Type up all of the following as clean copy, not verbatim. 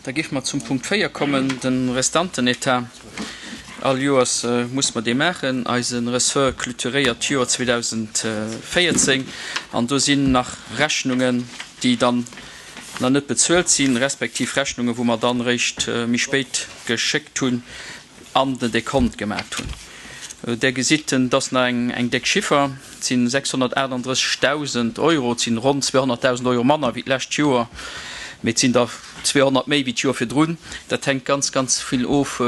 Da géife mer zum Punkt 4 kommen, de Restantenetat. All Joers muss mer dee maachen. Eise Ressort clôturéiert d'Joer 2014 an do sinn nach Rechnungen, déi dann nach net bezuelt sinn, respektiv Rechnungen, wou mer dann eréischt méi spéit geschéckt hunn an den Dekont gemaacht hunn. Där gesitt, et ass nach eng déck Chiffer, et si 638.000 Euro, et sinn ronn 200.000 Euro manner wéi d'lescht Joer, mee et sinn der 200 méi wéi d'Joer virdrun. Dat hänkt ganz, ganz vill of,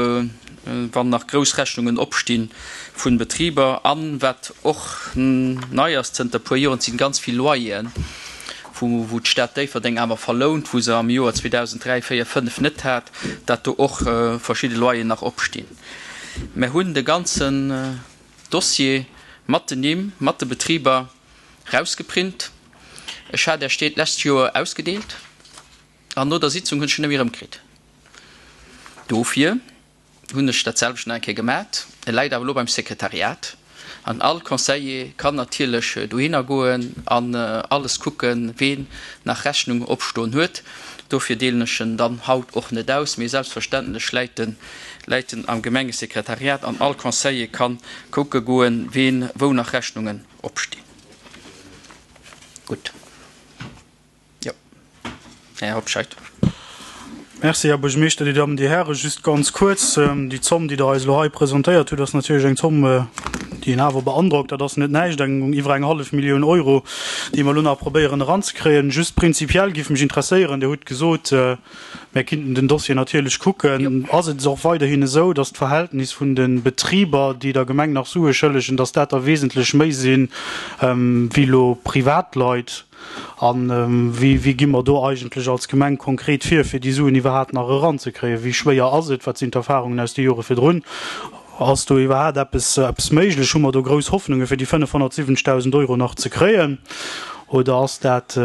wann nach grouss Rechnungen opsti vu Betriber. An, wat och nei ass zënter e puer Joren, et si ganz vill Loyeren, wou d'Stad Déifferdeng awer verlount, wou se am Joer 2003, 4, 5 net hat, dat do och verschidde Loyeren nach opstinn. Mer hunn de ganzen Dossier mat den Nimm, mat de Betriber rausgeprint. Ech hat Iech deen d'lescht Joer ausgedeelt an no der Sitzung hunn ech en net méi erëmkritt. Dofir hunn ech dat selwecht nach eng Kéier gemat. E läit awer elo beim Sekretariat an all Conseiller kann natierlech dohinner goen an alles kucken, ween nach Rechnung opstoen huet. Dofir deelen ech en dann haut och net aus, mee selbstverständlech läit en läit en am Gemengesekretariat an all Conseiller kann kucke goen, ween wou nach Rechnungen opstinn. Gutt. Jo, Här Hobscheit. Merci, Här Buergermeeschter, Dir Dammen, Dir Hären. Just ganz kuerz, Déi Zomm, déi Der eis elo hei presentéiert hutt, ass natierlech eng Zomm, déi een awer beandrockt. Dat ass net näischt, eng iwwer eng hallef Millioun Euro, déi mer elo nach probéieren eranzekréien. Just prinzipiell géif mech interesséieren, Dir hutt gesot, mär kinnten den Dossier natierlech kucken. Ass et och weiderhin esou, datt d'Verhältnis vun de Betriber, déi der Gemeng nach Sue schëllegen, datt dat der wesentlech méi sinn, wéi elo Privatleit? A wéi gi mer do eigentlech als Gemeng konkret vir, fir déi Suen iwwerhaapt nach eranzekréien? Wéi schwéier ass et? Wat sinn d'Erfahrungen aus de Jore virdrun? Ass do iwwerhaapt eppes, eppes méiglech? Hu mer do grouss Hoffnungen, fir déi 570.000 Euro nach ze kréien? Oder ass dat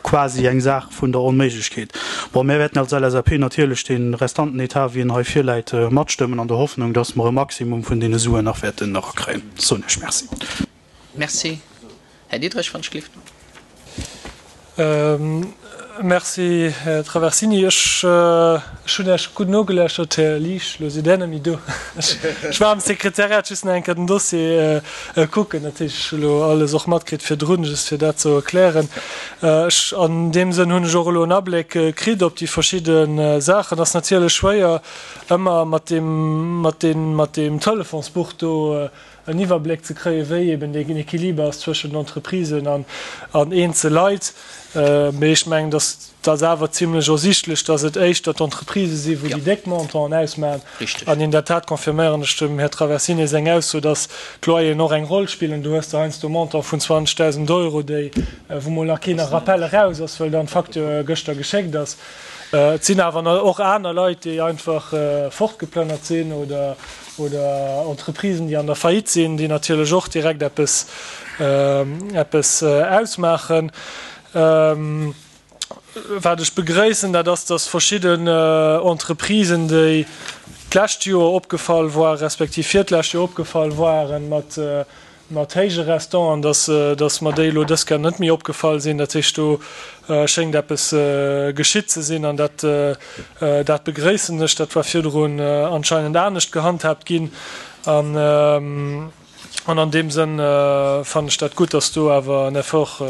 quasi eng Saach vun der Onméiglechkeet? Bon, mir wäerten als LSAP natierlech dee Restantenetat, wéi en hei virläit, matstëmmen, an der Hoffnung, dass mer e Maximum vun deene Suen nach wäerten erakréien. Soen ech Merci. Merci. Här Diderich, wann ech gelift. Merci, Här Traversini. Ech hunn Iech gutt nogeläuschert, Här Liesch. Elo sidd Där net méi do. Ech war am Sekretariat just nach eng Kéier den Dossier kucken. Dat heescht, ech hu elo alles och matkritt virdrun, just fir dat ze erklären. Ech, an deem Sënn hunn ech och elo en Abléck kritt op déi verschidde Saachen. Ass natierlech schwéier, ëmmer mat deem, mat deem, mat deem Telefonsbuch do en Iwwerbléck ze kréien, wéi eben deen Equiliber ass zwëschen den Entreprisen an eenzel Leit. Mee ech mengen, dass dat awer zimlech ersichtlech, dass et éischter d'Entreprisë sinn, wou déi déck Montanten ausmaachen. An in der Tat confirméieren ech dem Här Traversini seng Ausso, dass d'Loyeren och eng Roll spillen. Du hues der heiansdo Montant vun 20.000 Euro, déi, wou mol nach keen Rappel eraus ass, well dann d'Facture gëschter geschéckt ass. Et sinn awer och aner Leit, déi einfach fortgeplënnert sinn oder Oder Entreprisen, déi an der Faillite sinn, déi natierlech och direkt eppes, eppes ausmaachen. Wat ech begréissen, dat ass, dass verschidden Entreprisen, déi d'lescht Joer opgefall waren, respektiv virdlescht Joer opgefall waren mat, mat héije Restanten, dass, dass mer déi elo dës Kéier net méi opgefall sinn. Dat heescht, do schéngt eppes geschitt ze sinn an dat, dat begréissen ech. Dat war virdrun anscheinend anescht gehandhaabt ginn an, an an deem Sënn fannen ech dat gutt, dass do awer en Effort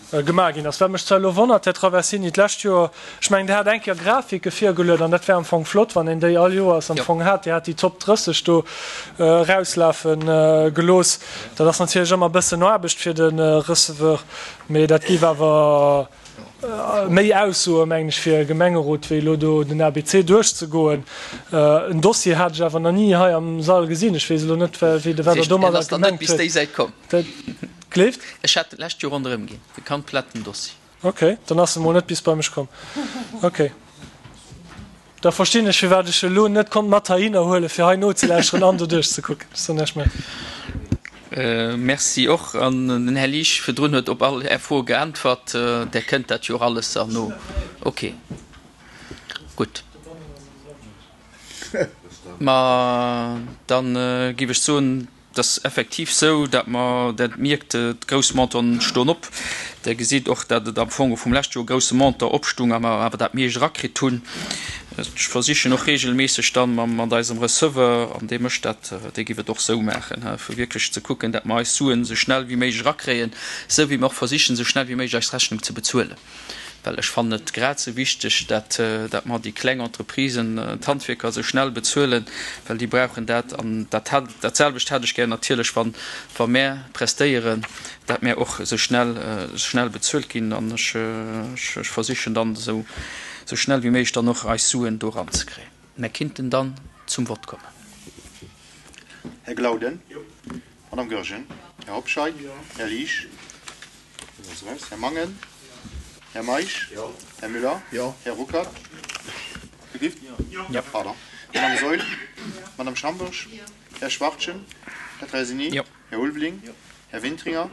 Gemaach ginn ass. Wat mech zwar elo wonnert, Här Traversini, d'lescht Joer, ech mengen, Dir hat eng Kéier Grafike virgeluet an dat wär am Fong flott, wann een déi all Joers am Fong hat. Dir hat déi Top 30 do erauslafe gelooss. Dat ass natierlech ëmmer e bëssen Aarbecht fir de Receveur, mee dat géif awer méi aussoen, mengen ech, fir e Gemengerot, wéi elo do den ABC duerchzegoen. En Dossier hat ech awer nach ni hei am Sall gesinn. Ech weess elo net, wéi de wat Der domadder gemengt huet. Gleeft? Ech hat en d'lescht Joer ronderëm ginn, de kompletten Dossier. Ok, dann ass en mol net bis bei mech komm. Ok, da verstinn ech firwat ech elo net konnt mat heihinner huelen fir hei nozelauschteren an doduerch ze kucken. Ech soen Iech Merci. Merci och. An den Här Liesch virdrun huet op all Är Froe geäntwert. Där kënnt dat jo och alles erno. Ok, gutt. Ma dann géif ech soen. Et ass effektiv sou, dat mer, dat mierkt, d'grouss Montanten stoen op. Der gesitt och, dat et am Fong vum leschte Joer e grousse Montant opstung a mer awer dat meescht erakritt hunn. Ech versichen och regelméisseg dann mat eisem Receveur, an dee mécht dat, dee giff et och sou maachen, fir wierklech ze kucken, dat mer eis Suen esou schnell wéi méiglech erakréien, sou wéi mer och versichen, esou schnell wéi méiglech eis Rechnung ze bezuelen. Well ech fannen et grad esou wichteg, dat dat mer déi kleng Entreprisen, d'Handwierker esou schnell bezuelen, well déi brauchen dat. An dat hat, dat selwecht hätt ech gär natierlech, wann, wa mär prestéieren, dat mär och esou schnell, esou schnell bezuelt ginn. An ech, ech versichen dann esou, esou schnell wéi méiglech dann och eis Suen do eranzekréien. Mär kinnten dann zum Vott kommen. Här Glauden. Madame Goergen. Här Hobscheit. Här Liesch. Här Mangen. Här Meisch. Här Müller. Här Ruckert. Pardon. Madame Saeul. Madame Schambourg. Här Schwachtgen. Här Traversini. Här Ulveling. Här Wintringer.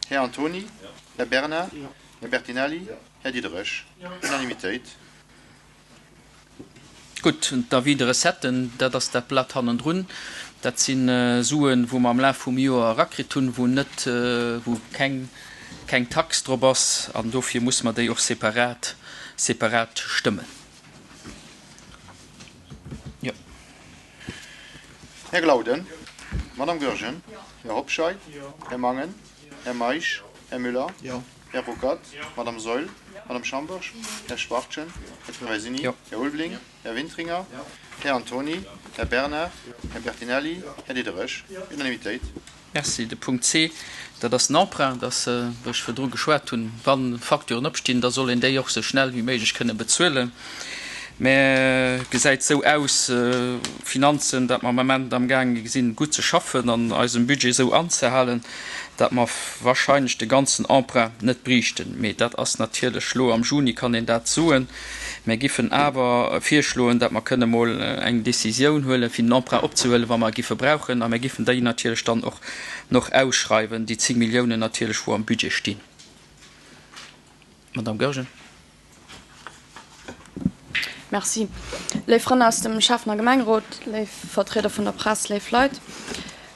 Här Antony. Här Bernard. Här Bertinelli. Här Diderich. Unanimitéit. Gutt, d'Avis de recetten, dat ass dat Blat hannendrun. Dat si Suen, wou mer am Laf vum Joer erakritt hunn, wou net, wou keng, keng Tax drop ass. An dofir musse mer déi och separat, separat stëmmen. Jo. Här Glauden, Madame Goergen, Här Hobscheit, Här Mangen, Här Meisch, Här Müller, Här Ruckert, Madame Saeul, Madame Schambourg, Här Schwachtgen, Här Traversini, Här Ulveling, Här Wintringer, Här Antony, Här Bernard, Här Bertinelli, Här Diderich. Unanimitéit. Merci. De Punkt C, dat ass den Emprunt, dass, wou ech virdru geschwat hunn, wa Facturen opstinn, da soll een déi och esou schnell wéi méiglech kënne bezuelen. Mä et gesäit esou aus, Finanzen, datt mer am Ament amgaange sinn, gutt ze schaffen an eisem Budget esou anzehalen, datt mer wahrscheinlech de ganzen Emprunt net briichten. Mee dat ass natierlech elo am Juni kann een dat soen. Mär giffen awer virschloen, datt mer kënne mol eng Décisioun huelen, fir den Emprunt opzehuelen, wa mer e giffe brauchen. A mär giffen déi natierlech dann och noch ausschreiwen, déi 10 Milliounen natierlech, wou am Budget stinn. Madame Goergen. Merci. Léif Frënn aus dem Schäffen a Gemengerot, léif Vertrieder vun der Press, léif Leit.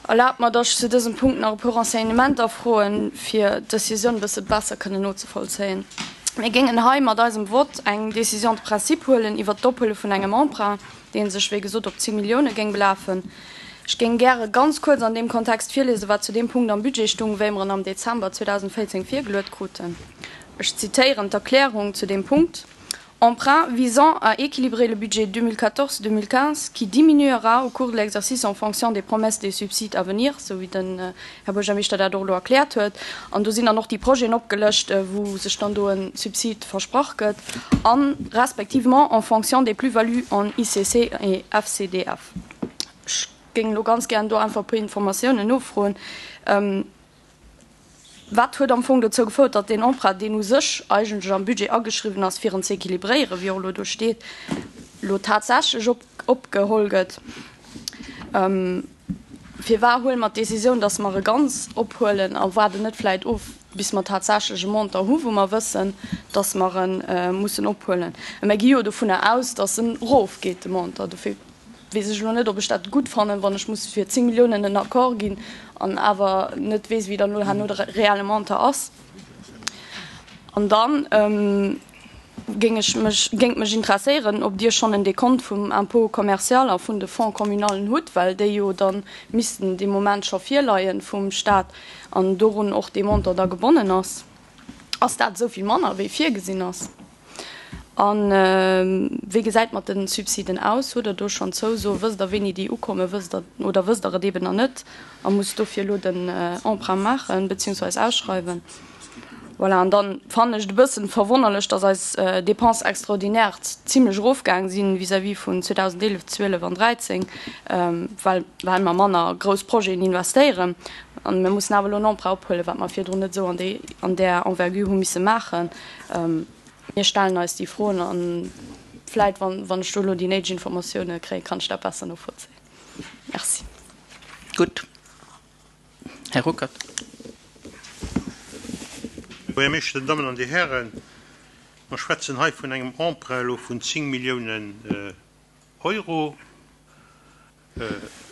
Erlaabt mer, datt ech zu dësem Punkt nach e puer Renseignementer froen, fir d'Decisioun e bësse besser kënnen nozevollzéien. Mir géingen hei mat eisem Vott eng Décision de principe huelen iwwert d'Ophuele vun engem Emprunt, dee sech, wéi gesot, op 10 Millioune géing belafen. Ech géing gäre ganz kuerz an deem Kontext virliesen, wat zu deem Punkt am Budget stung, wéi mer en am Dezember 2014 virgeluet kruten. Ech zitéieren d'Erklärung zu deem Punkt, Emprunt visant à équilibrer le budget 2014-2015 qui diminuera au cours de l'exercice en fonction des promesses des subsides à venir, sou wéi den Här Buergermeeschter dat och elo erkläert huet. An do sinn dann och déi Projeten opgelëscht, wou sech dann do e Subsid versprach gëtt, a respectivement en fonction des plus-values en ICC et FCDF. Ech géing elo ganz gären do einfach e puer Informatiounen nofroen. Wat huet am Fong dozou gefouert, datt deen Emprunt, deen u sech eigentlech am Budget ageschriwwen ass, fir en ze équilibréieren, wéi och elo do steet, elo tatsächlech opgeholl gëtt? Firwar huele mer d'Décisioun, datt mer e ganz ophuelen a waarden net vläicht of, bis mer tatsächlech e Montant hu wou mer wëssen, datt mer e mussen ophuelen? Mä mir gi jo dovunner aus, datt en erofgeet, de Montant. Dofir weess ech elo net, ob ech dat gutt fannen, wann ech muss fir 10 Milliounen en Accord ginn an awer net weess, wéi dann elo herno de reelle Montant ass. An dann géing ech mech, géing et mech interesséieren, ob Dir schonn en Dekont vum Impôt commercial a vun de Fonds communalen hutt, well déi jo da missten dee Moment scho virleien vum Stat an dorun och dee Montant da gebonnen ass. Ass dat esou vill manner, wéi virgesinn ass? A wéi gesäit mat de Subsiden aus? Hutt Der do schonn Zouso? Wësst Der, wéini déi ukommen? Wësst Der oder wësst Der et eeben nach net a musst dofir elo den Emprunt maachen beziehungsweis ausschreiwen? Voilà, an dann fannen ech et e bëssen verwonnerlech, dass eis Dépenses extraordinaires zimlech erofgaang si vis-à-vis vun 2011, 12 an 13, well well mer manner grouss Projeten investéieren. An mir mussen awer elo en Emprunt ophuelen, wat mer virdrun net esou an déi an där Envergure hu misse maachen. Mir stellen eis déi Froen a vläit, wann ech do elo déi néideg Informatioune kréien, kann ech dat besser novollzéien. Merci. Gutt. Här Ruckert. Här Buergermeeschter, Dir Dammen an Dir Hären, mer schwätzen hei vun engem Emprunt elo vun 10 Milliounen Euro.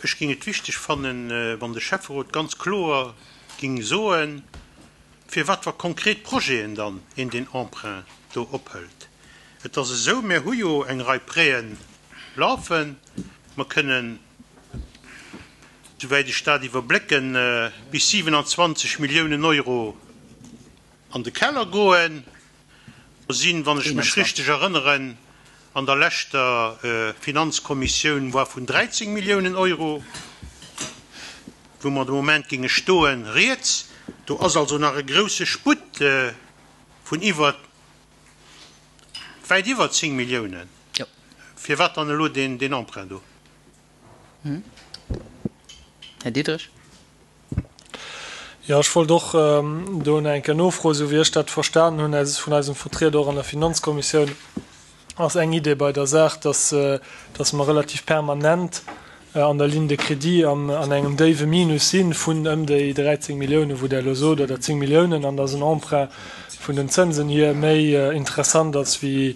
Ech géing et wichteg fannen, wann de Schäfferot ganz kloer géing soen, fir wat fir konkret Projeten dann een deen Emprunt do ophëlt. Et ass esou, mir hu jo eng Rei Prêten lafen. Mer kënnen, souwäit ech dat iwwerblécken, bis 27 Milliounen Euro an de Keller goen. Mer sinn, wann ech mech richteg erënneren, an der leschter Finanzkommissioun war vun 13 Milliounen Euro, wou mer de Moment géinge stoen, rieds. Do ass also nach e grouse Sputt vun iwwer, wäit iwwer 10 Milliounen. Firwat dann elo deen Emprunt do? Här Diderich. Jo, ech wollt och do nach eng Kéier nofroen. Esou wéi ech dat verstanen hunn aus vun eisem Vertrieder och an der Finanzkommissioun, ass eng Idee bei der Saach, dass, dass mer relativ permanent an der Ligne de crédit an an engem déiwe Minus si vun ëm déi 13 Milliounen, wou Der elo sot, oder 10 Milliounen, an dass en Emprunt vun den Zënsen hier méi interessant ass wéi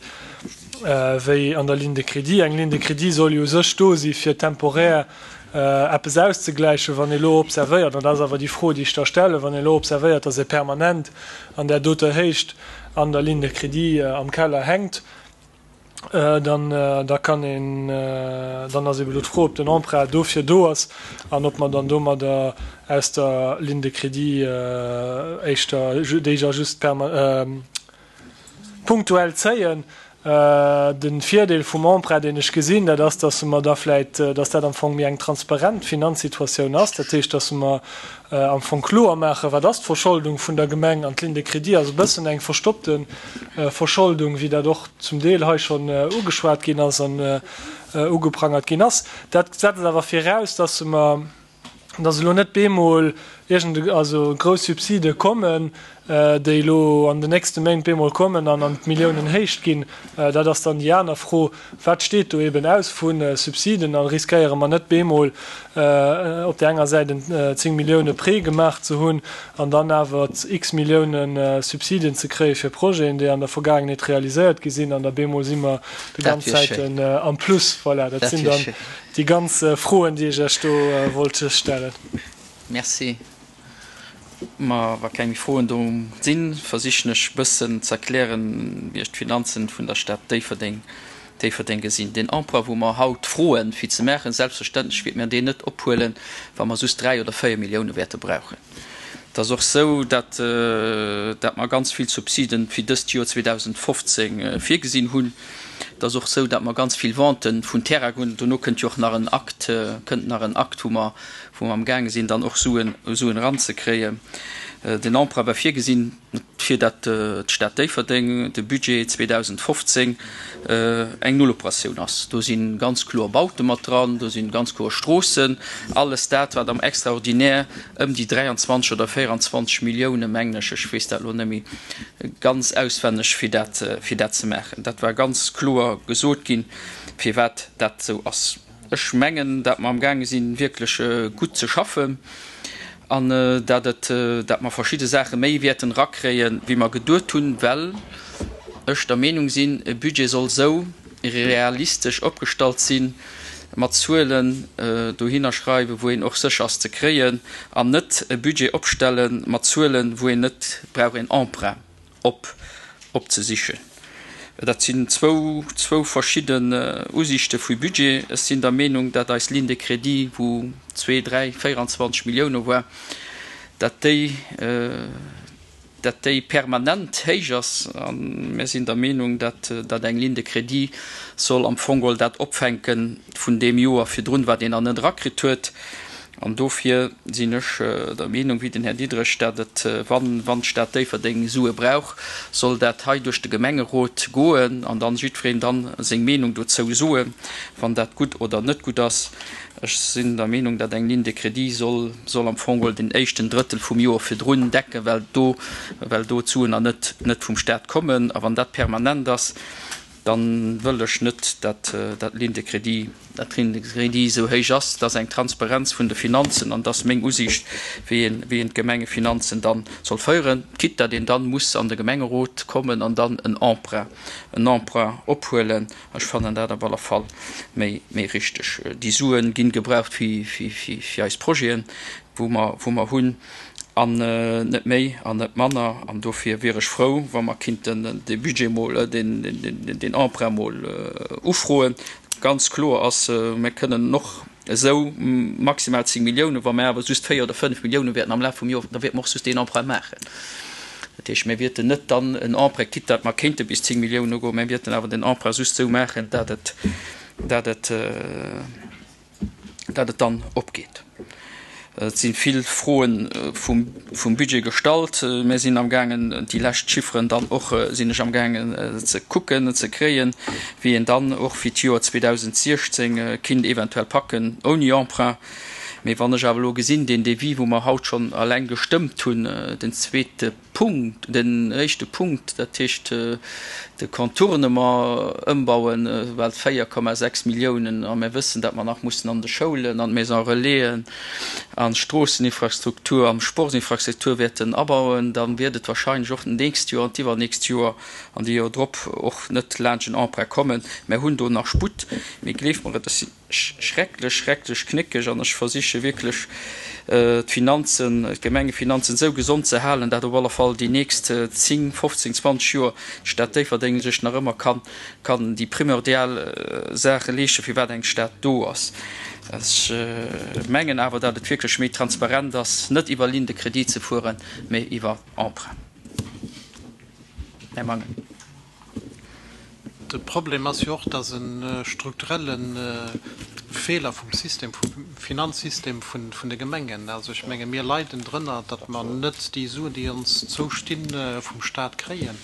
wéi an der Ligne de crédit. Eng Ligne de crédit soll jo u sech do si fir temporär eppes auszegläichen, wann ee elo observéiert, an dat ass awer déi Fro, déi ech da stellen, wann ee elo observéiert, dass ee permanent an där doter Héicht an der Ligne de crédit am Keller hänkt, dann, da kann een, dann ass ebe elo d'Fro, ob den Emprunt dofir do ass an ob mer dann domadder aus der Ligne de crédit éischter, déi ja just Punktuell zéien. De Virdeel vum Emprunt, deen ech gesinn, dat ass, dass mer da vläicht, dass dat am Fong méi eng transparent Finanzsituatioun ass. Dat heescht, dass mer am Fong kloer maachen, wat ass d'Verscholdung vun der Gemeng an d'Ligne de crédit ass e bëssen eng verstoppte Verscholdung, wéi dat och zum Deel hei schonn ugeschwat ginn ass an ugeprangert ginn ass. Dat setzt awer viraus, dass mer, dass elo net bemol iergend also grouss Subside kommen, déi elo an den nächste Méint bemol kommen an an d'Milliounenhéicht ginn. Dat ass dann déi aner Fro, Wat steet do eben aus vu Subsiden a riskéiere mer net bemol op där enger Säit en 10 Millioune Prêt gemaach ze hunn an dann awer x Millioune Subsiden ze kréie fir Projeten, déi an der Vergaangenheet realiséiert gi sinn an da bemol si mer déi ganz Zäit am Plus. Voilà, dat sinn dann Déi ganz Froen, déi ech Iech do wollt stellen. Merci. Ma wa keng méi Froen do sinn, versichen ech e bëssen ze erklären, wéi ech d'Finanzen vun der Stad Déifferdeng, Déifferdeng gesinn. Deen Emprunt, wou mer haut froen, fir ze maachen, selbstverständlech wäerte mir deen net ophuelen, wa mer just 3 oder 4 Millioune wäerte brauchen. Et ass och esou, datt, datt mer ganz vill Subsiden fir dëst Joer 2015 virgesinn hunn. Et ass och esou, datt mer ganz vill Venten vun Terrainen hunn. Dono kënnt jo och nach en Akt, kënnt nach en Akt, wou mer, wou mer amgaange sinn, dann och Suen, Suen eranzekréien. Den Emprunt war virgesinn, fir datt d'Stad Déifferdeng de Budget 2015 eng Nulloperatioun ass. Do si ganz kloer Baute mat dran, do si ganz kloer Stroossen, alles dat, wat am Extraordinaire ëm déi 23 oder 24 Millioune, mengen ech, ech weess dat elo net méi ganz auswenneg, fir dat, fir dat ze maachen. Dat war ganz kloer gesot ginn, firwat dat esou ass. Ech mengen, datt mer amgaange sinn, wierklech gutt ze schaffen an datt et, datt mer verschidde Saache méi wäerten erakréien, wéi mer geduet hunn, well ech der Meenung sinn, e Budget soll esou realistesch opgestallt sinn, mat Zuelen dohinner schreiwen, wou een och sécher ass ze kréien, an net e Budget opstelle mat Zuelen, wou een net brauch een Emprunt op opzesichen. Dat sinn zwou zwou verschidden Usiichte vu Budget. Ech sinn der Meenung, dat eis Ligne de crédit, wou zwee, dräi, 24 Millioune war, dat déi dat déi permanent héich ass. A mir sinn der Meenung, dat dat eng Ligne de crédit soll am Fong geholl dat opfänke vun deem Joer virdrun, wat een nach net erakritt huet. An dofir sinn ech der Meenung, wéi den Här Diderich, dat et, wann, wann d'Stad Déifferdeng Sue brauch, soll dat hei duerch de Gemengerot goen an dann jiddwereen dann seng Meenung dozou soen, wann dat gutt oder net gutt ass. Ech sinn der Meenung, dat eng Ligne de crédit soll, soll am Fong geholl den éischten Drëttel vum Joer virdrun decken, well do, well do d'Suen nach net, net vum Stat kommen. A wann dat permanent ass. Dann wëll ech net, dat dat Ligne de crédit, dat Ligne de crédit esou héich ass. Dat ass eng Transparenz vun de Finanzen an dat ass meng Usiicht, wéi een, wéi een d'Gemengefinanzen dann soll féieren, quitte dat een dann muss an de Gemengerot kommen an dann en Emprunt, en Emprunt ophuelen. Ech fannen dat op alle Fall méi, méi richteg. Déi Sue ginn gebraucht fir, fir, fir, fir eis Projeten, wou mer, wou mer hunn, an net méi an net manner. An dofir wier ech frou, wa mer kinnten dee Budget mol, deen, deen Emprunt mol ufroen. Ganz kloer ass, mir kënnen och esou maximal 10 Milliounen, wa mir awer just 4 oder 5 Milliounen wäerten am Laf vum Joer, da wäerte mer och just deen Emprunt maachen. Dat heescht, mir wäerten net dann en Emprunt, quitte datt mer kéinte bis 10 Milliounen ugoen, mä wäerten awer den Emprunt just esou maachen, dat et, dat et, dat et dann opgeet. Et si vill Froe vum Budget gestallt. Mir sinn amgaangen, déi lescht Chifferen dann och sinn ech amgaangen ze kucken, ze kréien, wéi een dann och fir d'Joer 2016 kinnt eventuell packen ouni Emprunt. Mee wann ech awer elo gesinn, deen Devis, wou mer haut schonn eleng gestëmmt hunn, den zweete Punkt, den éischte Punkt, dat heescht de Contournement ëmbauen, bal 4,6 Milliounen, a mir wëssen, datt mer nach mussen an de Schoulen, an d'Maisons relaisen, an d'Stroosseninfrastruktur, an d'Sportsinfrastruktur wäerten abauen, da wäert et wahrscheinlech och d'nächst Joer an d'iwwernächst Joer an déi Joer drop och net laanscht en Emprunt kommen. Mir hunn do nach Sputt, mee gleeft mer et, ech sinn. Schrecklech, schrecklech knéckeg an ech versiche wierklech d'Finanzen, d'Gemengefinanzen esou gesond ze halen, dat op alle Fall déi nächst 10, 15, 20 Joer d'Stad Déifferdeng sech nach ëmmer kann, kann déi primordial Saache leeschten, firwat eng Stad do ass. Ech mengen awer, dat et wierklech méi transparent ass, net iwwer Ligne de crédit ze fueren, mä iwwer Emprunt. Här Mangen. De Problem ass jo och, dass e strukturelle Feeler vum System, vum Finanzsystem vun de Gemengen, also ech menge mir leiden drënner, datt mer net déi Suen, déi ons zoustinn, vum Stat kréien.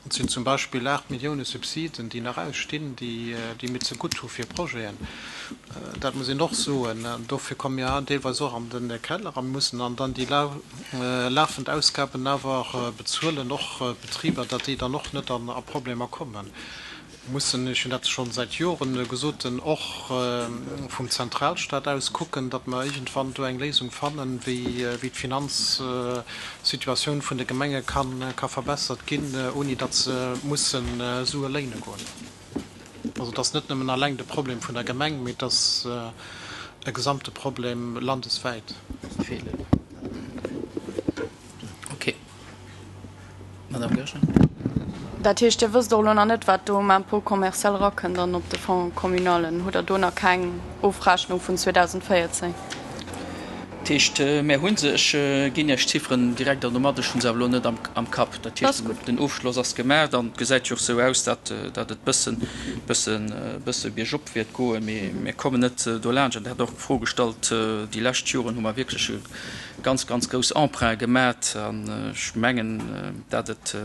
Et sinn zum Beispill 8 Millioune Subsiden, déi nach ausstinn, déi mir zegutt hu fir Projeten. Dat muss een och soen. Dofir komme mir deelweis och an de Keller a mussen dann déi lafend Ausgaben awer bezuelen, och d'Betriber, datt déi dann och net a Problemer kommen. Mir mussen, ech hunn dat scho säit Joren gesot, och vum Zentralstaat aus kucken, datt mer iergendwann do eng Léisung fannen, wéi d'Finanzsituatioun vun de Gemenge ka verbessert ginn, ouni datt se musse Sue léine goen. Also et ass net nëmmen alleng de Problem vun der Gemeng, mee et ass e gesamte Problem landeswäit. Ok. Madame Goergen. Dat heescht, Dir wësst och elo nach net, wat do um Impôt commercial erakënnt an op de Fonds communalen. Hutt Der do nach keng Ofrechnung vun 2014? Dat heescht, mär hu se. Ech ginn Iech d'Chifferen direkt an domat. Ech hu se awer elo net am Kapp. Dat heescht, den Ofschloss ass gemaach an et gesäit jo och esou aus, datt et bëssen, bëssen, bësse biergop wäert goen. Mee mir kommen net dolaanscht. An Dir hat och d'Fro gestallt, déi lescht Joren hu mer wierklech e ganz, ganz grouss Emprunte gemat. An ech mengen, datt et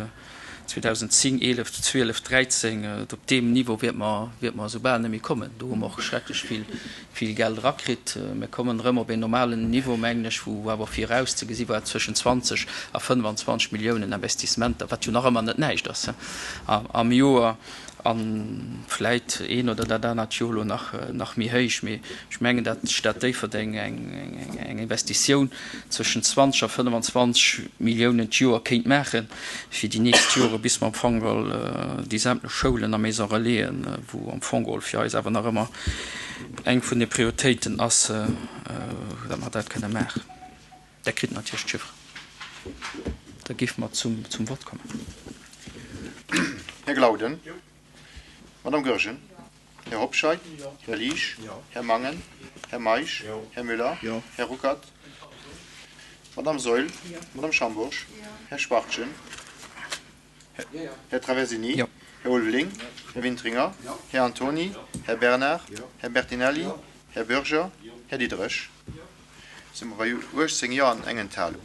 2010, 11, 12, 13, op deem Niveau wäerte mer, wäerte mer esou bal net méi kommen. Do hu mer och schrecklech vill, vill Geld erakritt. Mir kommen erëm op een normalen Niveau, mengen ech, wou awer virauszegesi war zwëschen 20 a 25 Milliounen Investissementer, wat jo nach ëmmer net näischt ass, am Joer. A vläit een oder dat anert Joer elo nach, nach méi héich. Mee ech mengen, datt d'Stad Déifferdeng eng, eng Investitioun zwëschen 20 a 25 Milliounen d'Joer kéint maachen, fir déi nächst Jore bis mer am Fong geholl déi sämtlech Schoulen a Maisons Relaisen, wou am Fong geholl fir eis awer nach ëmmer eng vun de Prioritéiten ass, datt mer dat kënne maachen. Der kritt natierlech d'Chifferen. Da géife mer zum Vott kommen. Här Glauden. Madame Goergen. Här Hobscheit. Här Liesch. Här Mangen. Här Meisch. Här Müller. Här Ruckert. Madame Saeul. Madame Schambourg. Här Schwachtgen. Här Traversini. Här Ulveling. Här Wintringer. Här Antony. Här Bernard. Här Bertinelli. Här Bürger. Här Diderich. Si mer bei 18 Jo an eng Enthalung.